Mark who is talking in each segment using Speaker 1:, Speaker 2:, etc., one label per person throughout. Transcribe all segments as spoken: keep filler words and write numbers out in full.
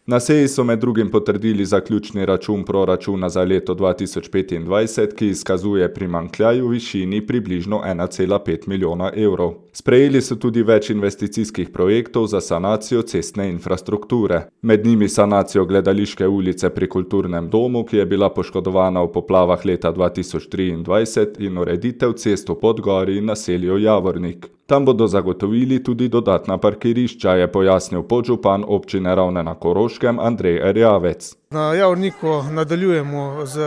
Speaker 1: Na seji so med drugim potrdili zaključni račun proračuna za leto dva tisoč petindvajset, ki izkazuje primanjkljaj v višini približno ena cela pet milijona evrov. Sprejeli so tudi več investicijskih projektov za sanacijo cestne infrastrukture. Med njimi sanacijo Gledališke ulice pri Kulturnem domu, ki je bila poškodovana v poplavah leta dva tisoč triindvajset, in ureditev cest v Podgori in naselju Javornik. Tam bodo zagotovili tudi dodatna parkirišča, je pojasnil podžupan občine Ravne na Koroškem Andrej Erjavec.
Speaker 2: Na Javorniku nadaljujemo z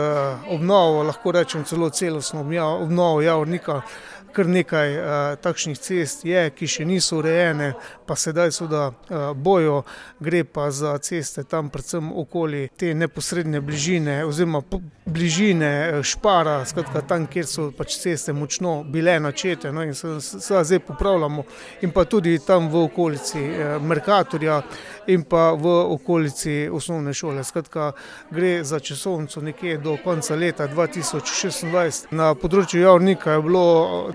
Speaker 2: obnovo, lahko rečem celo celostno obnovo Javornika. Kar nekaj uh, takšnih cest je, ki še niso urejene, pa sedaj seveda uh, bojo, gre pa za ceste tam predvsem okoli te neposredne bližine oziroma bližine Špara, skratka tam, kjer so pač ceste močno bile načete, no, in se zdaj popravljamo, in pa tudi tam v okolici uh, Mercatorja in pa v okolici osnovne šole. Skratka, gre za časovnico nekje do konca leta dva tisoč šestindvajset. Na področju Javornika je bilo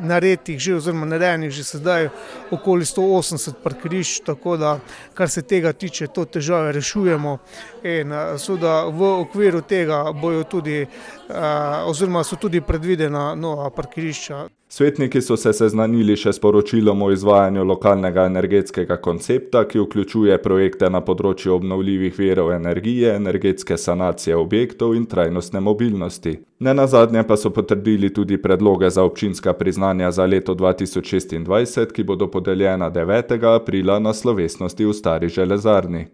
Speaker 2: naredih že oziroma narejenih že sedaj okoli sto osemdeset parkirišč, tako da kar se tega tiče, to težave rešujemo in seveda v okviru tega bojo tudi oziroma so tudi predvidena nova parkirišča.
Speaker 1: Svetniki so se seznanili še s poročilom o izvajanju lokalnega energetskega koncepta, ki vključuje projekte na področju obnovljivih virov energije, energetske sanacije objektov in trajnostne mobilnosti. Nenazadnje pa so potrdili tudi predloge za občinska priznanja za leto dva tisoč šestindvajset, ki bodo podeljena devetega aprila na slovesnosti v Stari železarni.